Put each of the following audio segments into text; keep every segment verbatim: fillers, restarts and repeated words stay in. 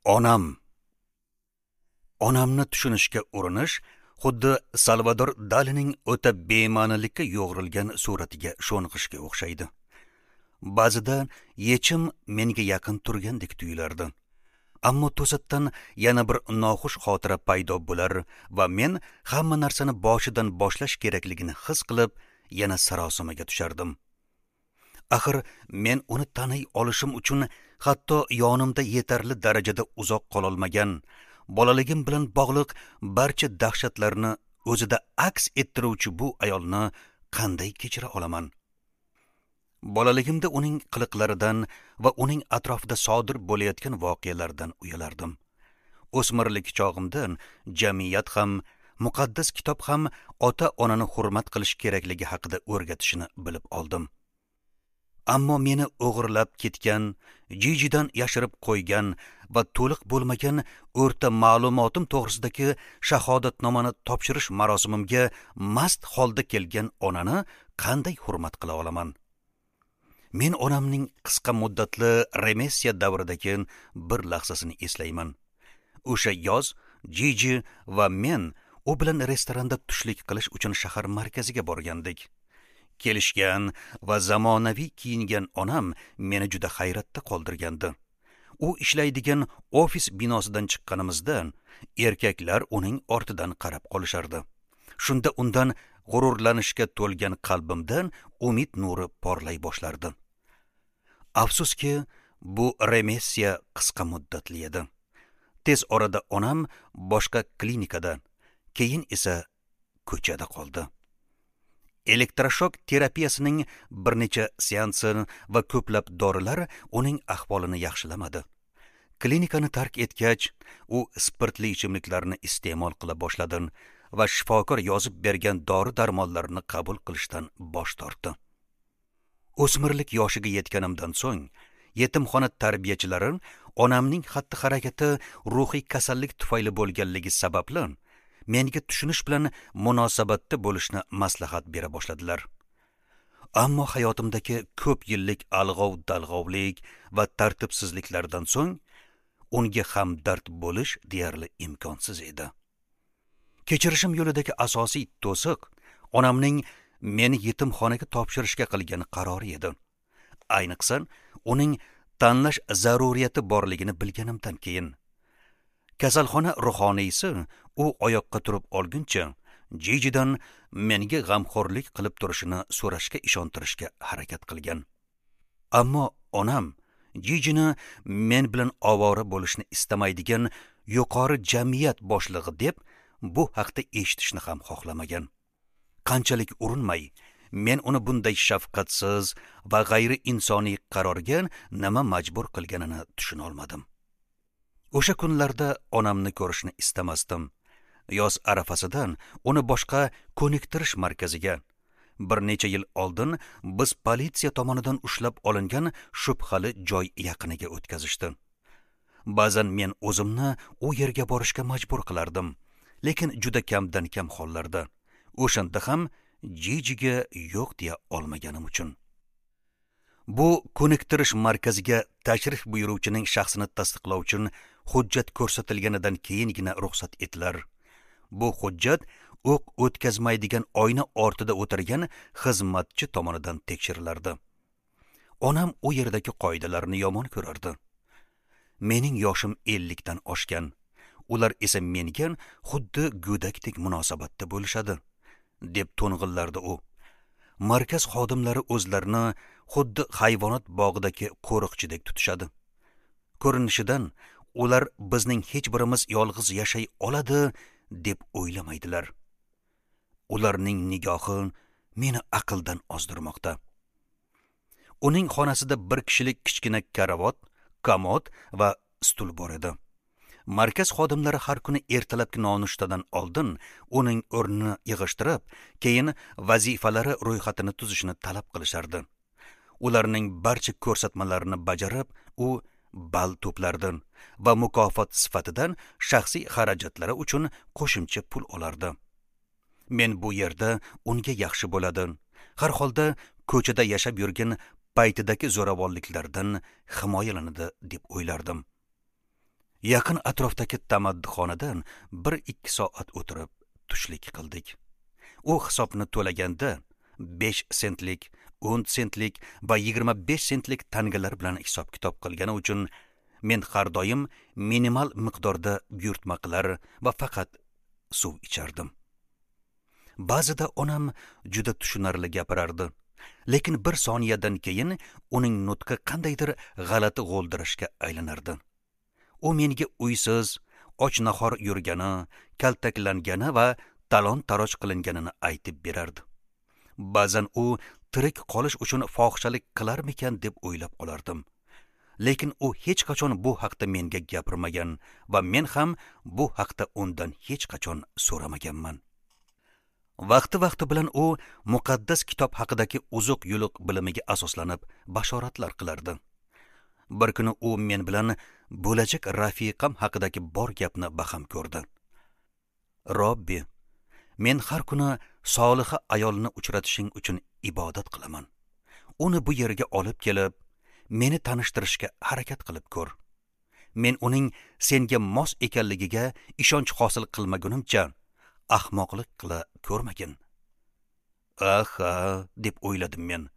Onam. Onamni tushunishga urinish xuddi Salvador Dalining o'ta bema'nilikka yo'g'rilgan suratiga sho'ng'ishga o'xshaydi. Ba'zida yechim menga yaqin turgandek tuyulardi. Ammo to'satdan yana bir noxush xotira paydo bo'lar va men hamma narsani boshidan boshlash kerakligini his qilib, yana sarosimaga tushardim. Axir men uni taniy olishim uchun hatto yonimda yetarli darajada uzoq qololmagan, bolaligim bilan bog'liq barcha dahshatlarni o'zida aks ettiruvchi bu ayolni qanday kechira olaman? Bolaligimda uning qiliqlaridan va uning atrofida sodir bo'layotgan voqealardan uyalardim. O'smirlik chog'imdan jamiyat ham, muqaddas kitob ham ota-onani hurmat qilish kerakligi haqida o'rgatishini bilib oldim. Ammo meni o'g'irlab ketgan, Jijidan yashirib qo'ygan va to'liq bo'lmagan o'rta ma'lumotim to'g'risidagi shahodatnomani topshirish marosimimga mast holda kelgan onani qanday hurmat qila olaman? Men onamning qisqa muddatli remissiya davridagi bir lahzasini eslayman. O'sha yoz Jiji va men u bilan restoranda tushlik qilish uchun shahar markaziga borgandik. Kelishgan va zamonaviy kiyingan onam meni juda hayratda qoldirgandi. U ishlaydigan ofis binosidan chiqqanimizda erkaklar uning ortidan qarab qolishardi. Shunda undan g'ururlanishga to'lgan qalbimdan umid nuri porlay boshlardi. Afsuski, bu remissiya qisqa muddatli edi. Tez orada onam boshqa klinikada, keyin esa ko'chada qoldi. Elektroshok terapiyasining bir necha seansi va ko'plab dorilar uning ahvolini yaxshilamadi. Klinikani tark etgach, u spirtli ichimliklarni iste'mol qila boshladi va shifokor yozib bergan dori-darmonlarni qabul qilishdan bosh tortdi. O'smirlik yoshiga yetganimdan so'ng, yetimxona tarbiyachilari onamning xatti-harakati ruhiy kasallik tufayli bo'lganligi sababli menga tushunish bilan munosabatda bo'lishni maslahat bera boshladilar. Ammo hayotimdagi ko'p yillik alg'ov-dalg'ovlik va tartibsizliklardan so'ng unga hamdard bo'lish deyarli imkonsiz edi. Kechirishim yo'lidagi asosiy to'siq onamning meni yetimxonaga topshirishga qilgan qarori edi. Ayniqsa, uning tanlash zaruriyati borligini bilganimdan keyin. Kasalxona ruhoniysi u oyoqqa turib olguncha Jijidan menga g'amxo'rlik qilib turishini so'rashga ishontirishga harakat qilgan. Ammo onam Jijini men bilan ovora bo'lishni istamaydigan yuqori jamiyat boshlig'i deb bu haqda eshitishni ham xohlamagan. Qanchalik urinmay, men uni bunday shafqatsiz va g'ayri insoniy qarorga nima majbur qilganini tushuna olmadim. O'sha kunlarda onamni ko'rishni istamasdim. Yoz arafasidan uni boshqa ko'niktirish markaziga, bir necha yil oldin biz politsiya tomonidan ushlab olingan shubhali joy yaqiniga o'tkazishdi. Ba'zan men o'zimni u yerga borishga majbur qilardim, lekin juda kamdan kam hollarda. O'shanda ham Jijiga yo'q deya olmaganim uchun. Bu ko'niktirish markaziga tashrif buyuruvchining shaxsini tasdiqlovchi hujjat ko'rsatilganidan keyingina ruxsat etilar. Bu hujjat o'q o'tkazmaydigan oyna ortida o'tirgan xizmatchi tomonidan tekshirilardi. Onam u yerdagi qoidalarni yomon ko'rardi. Mening yoshim ellikdan oshgan. Ular esa menga xuddi go'dakdek munosabatda bo'lishadi, deb to'ng'illardi u. Markaz xodimlari o'zlarini xuddi hayvonot bog'idagi qo'riqchidek tutishadi. Ko'rinishidan ular bizning hech birimiz yolg'iz yashay oladi deb o'ylamaydilar. Ularning nigohi meni aqldan ozdirmoqda. Uning xonasida bir kishilik kichkina karavot, komod va stul bor edi. Markaz xodimlari har kuni ertalabki nonushtadan oldin uning o'rnini yig'ishtirib, keyin vazifalari ro'yxatini tuzishni talab qilishardi. Ularning barcha ko'rsatmalarini bajarib, u ball to'plardi va mukofot sifatidan shaxsiy xarajatlari uchun qo'shimcha pul olardi. Men bu yerda unga yaxshi bo'ladi. Har holda ko'chada yashab yurgan paytidagi zo'ravonliklardan himoyalanadi deb o'ylardim. Yaqin atrofdagi tamaddixonadan bir ikki soat o'tirib tushlik qildik. U hisobni to'laganda besh sentlik, o'n sentlik va yigirma besh sentlik tangalar bilan hisob-kitob qilgani uchun men har doim minimal miqdorda buyurtma qilar va faqat suv ichardim. Ba'zida onam juda tushunarli gapirardi, lekin bir soniyadan keyin uning nutqi qandaydir g'alati g'o'ldirashga aylanardi. U menga uysiz, och nahor yurgani, kaltaklangani va talon-taroj qilinganini aytib berardi. Ba'zan u tirik qolish uchun fohishalik qilarmikan deb o'ylab qolardim. Lekin u hech qachon bu haqda menga gapirmagan va men ham bu haqda undan hech qachon so'ramaganman. Vaqti-vaqti bilan u muqaddas kitob haqidagi uzuq-yuluq bilimiga asoslanib bashoratlar qilardi. Bir kuni u men bilan bo'lajak rafiqam haqidagi bor gapni baham ko'rdi. Robbi, men har kuni soliha ayolni uchratishing uchun ibodat qilaman. Uni bu yerga olib kelib, meni tanishtirishga harakat qilib ko'r. Men uning senga mos ekanligiga ishonch hosil qilmagunimcha ahmoqlik qila ko'rmagin. Aha, deb o'yladim men.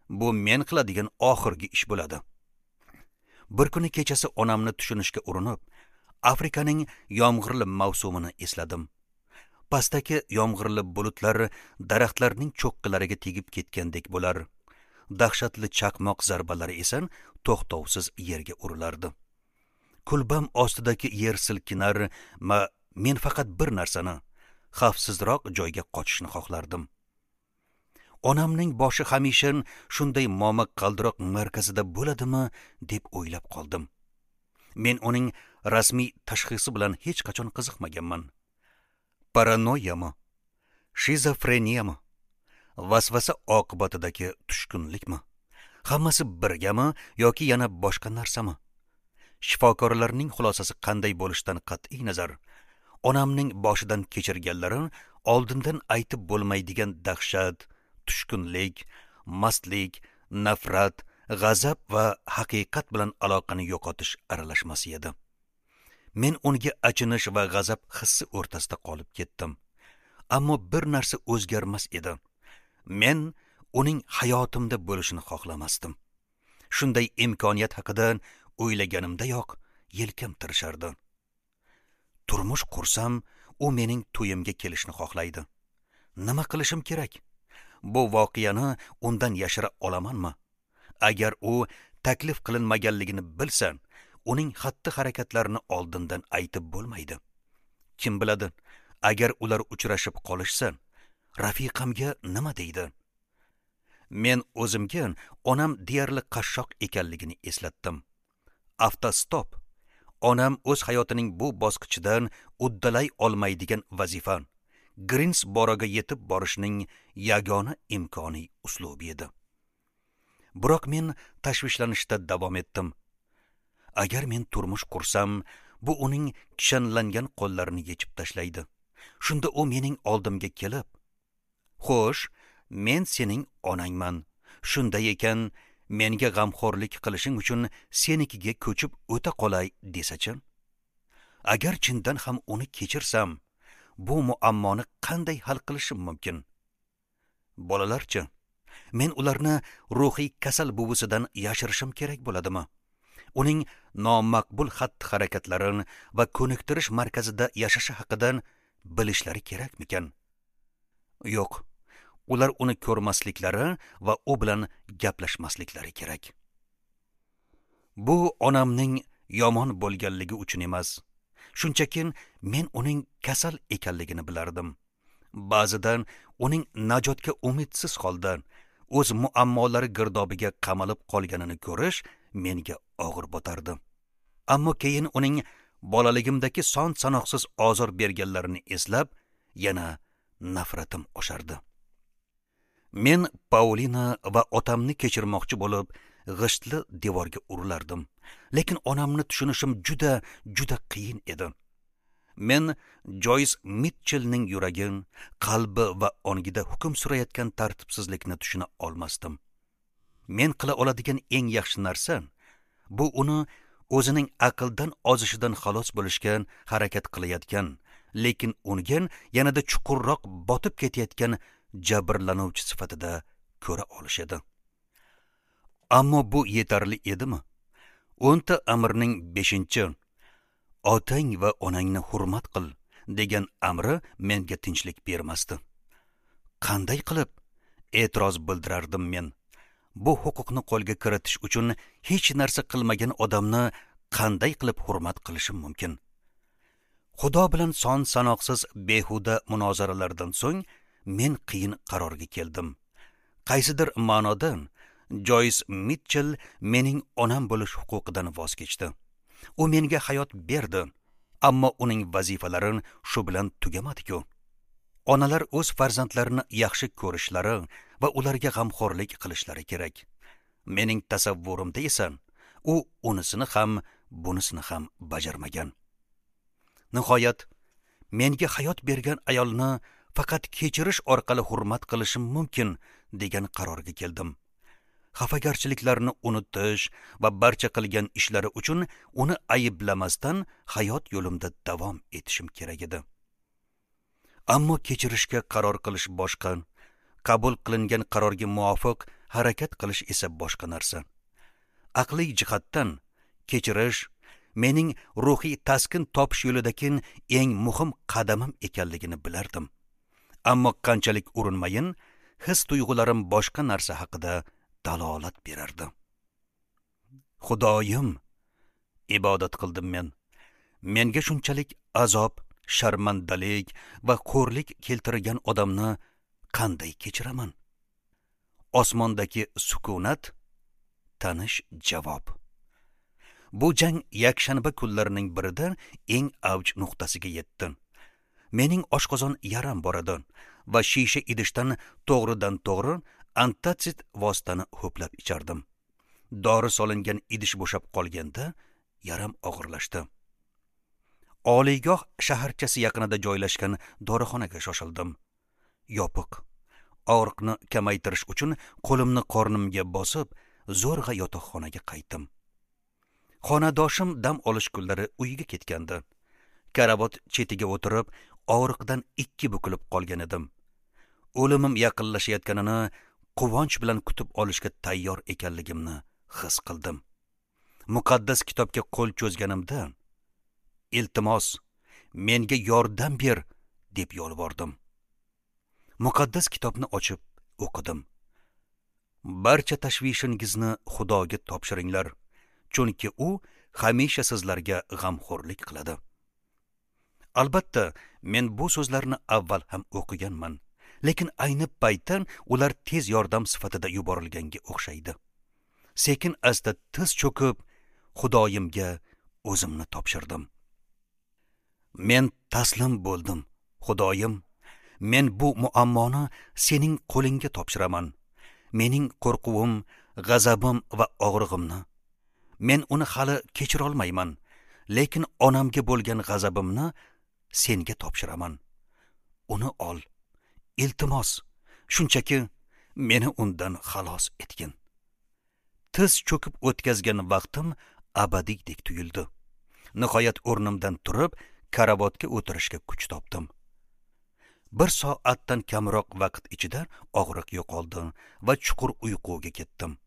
Bu men qiladigan oxirgi ish bo'ladi. Bir kuni kechasi onamni tushunishga urinib, Afrikaning yomg'irli mavsumini esladim. Pastdagi yomg'irli bulutlar daraxtlarning cho'qqilariga tegib ketgandek bo'lar. Dahshatli chaqmoq zarbalari esa to'xtovsiz yerga urilardi. Kulbam ostidagi yer silkinar, ma men faqat bir narsani, xavfsizroq joyga qochishni xohlardim. Onamning boshi hamisha shunday momiq qaldiroq markazida bo'ladimi deb o'ylab qoldim. Men uning rasmiy tashxisi bilan hech qachon qiziqmaganman. Paranoyami, shizofreniyami, vasvasa oqibatidagi tushkunlikmi, hammasi birgami yoki yana boshqa narsami? Shifokorlarning xulosasi qanday bo'lishidan qat'iy nazar, onamning boshidan kechirganlari oldindan aytib bo'lmaydigan dahshat, tushkunlik, mastlik, nafrat, g'azab va haqiqat bilan aloqani yo'qotish aralashmasi edi. Men unga achinish va g'azab hissi o'rtasida qolib ketdim. Ammo bir narsa o'zgarmas edi. Men uning hayotimda bo'lishini xohlamasdim. Shunday imkoniyat haqida o'ylaganimdayoq yelkam tirishardi. Turmush qursam, u mening to'yimga kelishni xohlaydi. Nima qilishim kerak? Bu voqeani undan yashira olamanmi? Agar u taklif qilinmaganligini bilsa, uning xatti-harakatlarini oldindan aytib bo'lmaydi. Kim biladi, agar ular uchrashib qolishsa, rafiqamga nima deydi? Men o'zimga onam deyarli qashshoq ekanligini eslatdim. Avtostop. Onam o'z hayotining bu bosqichidan uddalay olmaydigan vazifa, Grinsboroga yetib borishning yagona imkoniy uslubi edi. Biroq men tashvishlanishda davom etdim. Agar men turmush qursam, bu uning kishanlangan qo'llarini yechib tashlaydi. Shunda u mening oldimga kelib, "Xo'sh, men sening onangman. Shunday ekan, menga g'amxo'rlik qilishing uchun senikiga ko'chib o'ta qolay" desachi? Agar chindan ham uni kechirsam, bu muammoni qanday hal qilishim mumkin? Bolalarchi, men ularni ruhiy kasal buvisidan yashirishim kerak bo'ladimi? Uning nomaqbul xatti-harakatlarini va ko'niktirish markazida yashashi haqidan bilishlari kerakmikan? Yo'q, ular uni ko'rmasliklari va u bilan gaplashmasliklari kerak. Bu onamning yomon bo'lganligi uchun emas. Shunchaki men uning kasal ekanligini bilardim. Ba'zidan uning najotga umidsiz holda o'z muammolari girdobiga qamalib qolganini ko'rish menga og'ir botardi. Ammo keyin uning bolaligimdagi son sanoqsiz ozor berganlarini eslab, yana nafratim oshardi. Men Paulina va otamni kechirmoqchi bo'lib, g'ishtli devorga urilardim. Lekin onamni tushunishim juda, juda qiyin edi. Men Joyce Mitchellning yuragi, qalbi va ongida hukm surayotgan tartibsizlikni tushuna olmasdim. Men qila oladigan eng yaxshi narsa bu uni o'zining aqldan ozishidan xalos bo'lishga harakat qilayotgan, lekin unga yanada chuqurroq botib ketayotgan jabrlanuvchi sifatida ko'ra olishadi. Ammo bu yetarli edimi? O'nta amrning beshinchi otang va onangni hurmat qil degan amri menga tinchlik bermasdi. Qanday qilib e'tiroz bildirardim men? Bu huquqni qo'lga kiritish uchun hech narsa qilmagan odamni qanday qilib hurmat qilishim mumkin? Xudo bilan son sanoqsiz behuda munozaralardan so'ng men qiyin qarorga keldim. Qaysidir ma'noda Joyce Mitchell mening onam bo'lish huquqidan voz kechdi. U menga hayot berdi, ammo uning vazifalari shu bilan tugamadi-ku. Onalar o'z farzandlarini yaxshi ko'rishlari va ularga g'amxo'rlik qilishlari kerak. Mening tasavvurimda esa u unisini ham, bunisini ham bajarmagan. Nihoyat, menga hayot bergan ayolni faqat kechirish orqali hurmat qilishim mumkin degan qarorga keldim. Xafagarchiliklarni unutish va barcha qilgan ishlari uchun uni ayblamasdan hayot yo'limda davom etishim kerak edi. Ammo kechirishga qaror qilish boshqa, qabul qilingan qarorga muvofiq harakat qilish esa boshqa narsa. Aqliy jihatdan kechirish mening ruhiy taskin topish yo'lidagi eng muhim qadamim ekanligini bilardim. Ammo qanchalik urinmayin, his tuyg'ularim boshqa narsa haqida dalolat berardi. Xudoyim, ibodat qildim men. Menga shunchalik azob, sharmandalik va xo'rlik keltirgan odamni qanday kechiraman? Osmondagi sukunat, tanish javob. Bu jang yakshanba kunlarining birida eng avj nuqtasiga yetdi. Mening oshqozon yaram bor edi va shisha idishdan to'g'ridan to'g'ri antatsid vositani ho'plab ichardim. Dori solingan idish bo'shab qolganda yaram og'irlashdi. Oliygoh shaharchasi yaqinida joylashgan dorixonaga shoshildim. Yopiq. Og'riqni kamaytirish uchun qo'limni qornimga bosib, zo'rg'a yotoqxonaga qaytdim. Xonadoshim dam olish kunlari uyiga ketgandi. Karavot chetiga o'tirib, og'riqdan ikki bukilib qolgan edim. O'limim yaqinlashayotganini quvonch bilan kutib olishga tayyor ekanligimni his qildim. Muqaddas kitobga qo'l cho'zganimda, iltimos, menga yordam ber deb yolvordim. Muqaddas kitobni ochib o'qidim. Barcha tashvishingizni Xudoga topshiringlar, chunki u hamisha sizlarga g'amxo'rlik qiladi. Albatta, men bu so'zlarni avval ham o'qiganman, lekin ayni paytda ular tez yordam sifatida yuborilganga o'xshaydi. Sekin asta tiz cho'kib, Xudoyimga o'zimni topshirdim. Men taslim bo'ldim, Xudoyim. Men bu muammoni sening qo'lingga topshiraman. Mening qo'rquvim, g'azabim va og'rig'imni. Men uni hali kechira olmayman, lekin onamga bo'lgan g'azabimni senga topshiraman. Uni ol. Iltimos, shunchaki meni undan xalos etgin. Tiz cho'kib o'tkazgan vaqtim abadiydek tuyuldi. Nihoyat o'rnimdan turib, karavotga o'tirishga kuch topdim. Bir soatdan kamroq vaqt ichida og'riq yo'qoldi va chuqur uyquga ketdim.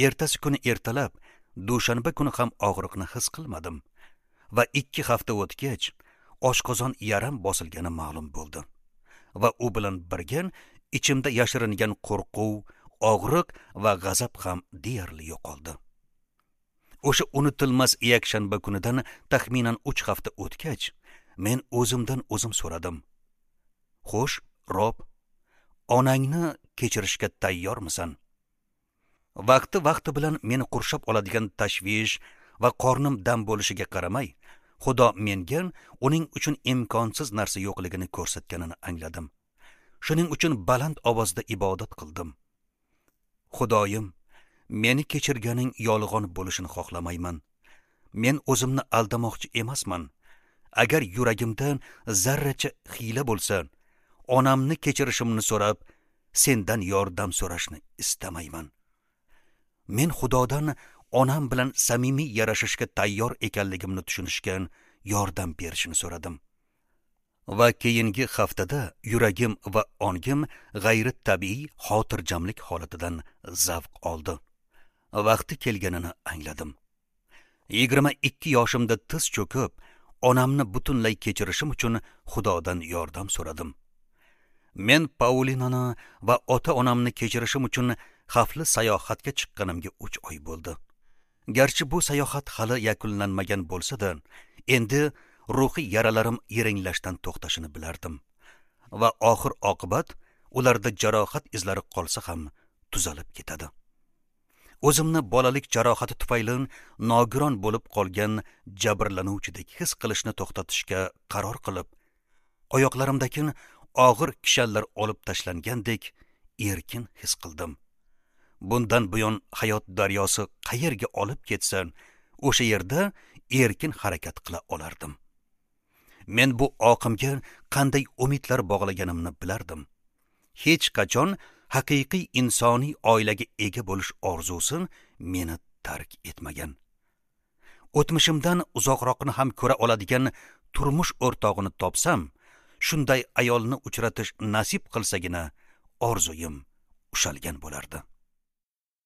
Ertasi kuni ertalab, dushanba kuni ham og'riqni his qilmadim va ikki hafta o'tgach, oshqozon yaram bosilgani ma'lum bo'ldi. Va u bilan birga ichimda yashiringan qo'rquv, og'riq va g'azab ham deyarli yo'qoldi. O'sha unutilmas yakshanba kunidan taxminan uch hafta o'tgach, men o'zimdan o'zim so'radim. Xo'sh, Rob, onangni kechirishga tayyormisan? Vaqti-vaqti bilan meni qurshab oladigan tashvish va qornim dam bo'lishiga qaramay, Xudo menga uning uchun imkonsiz narsa yo'qligini ko'rsatganini angladim. Shuning uchun baland ovozda ibodat qildim. Xudoyim, meni kechirganing yolg'on bo'lishini xohlamayman. Men o'zimni aldamoqchi emasman. Agar yuragimda zarracha hiyla bo'lsa, onamni kechirishimni so'rab, sendan yordam so'rashni istamayman. Men Xudodan onam bilan samimiy yarashishga tayyor ekanligimni tushunishga yordam berishini so'radim. Va keyingi haftada yuragim va ongim g'ayri tabiiy xotirjamlik holatidan zavq oldi. Vaqti kelganini angladim. Yigirma ikki yoshimda tiz cho'kib, onamni butunlay kechirishim uchun Xudodan yordam so'radim. Men Paulinani va ota-onamni kechirishim uchun xavfli sayohatga chiqqanimga uch oy bo'ldi. Garchi bu sayohat hali yakunlanmagan bo'lsa-da, endi ruhiy yaralarim yiringlashdan to'xtashini bilardim. Va oxir oqibat ularda jarohat izlari qolsa ham tuzalib ketadi. O'zimni bolalik jarohati tufayli nogiron bo'lib qolgan jabrlanuvchidek his qilishni to'xtatishga qaror qilib, oyoqlarimdagi og'ir kishanlar olib tashlangandek erkin his qildim. Bundan buyon hayot daryosi qayerga olib ketsa, o'sha yerda erkin harakat qila olardim. Men bu oqimga qanday umidlar bog'laganimni bilardim. Hech qachon haqiqiy insoniy oilaga ega bo'lish orzusi meni tark etmagan. O'tmishimdan uzoqroqni ham ko'ra oladigan turmush o'rtog'ini topsam, shunday ayolni uchratish nasib qilsagina orzuyim ushalgan bo'lardi.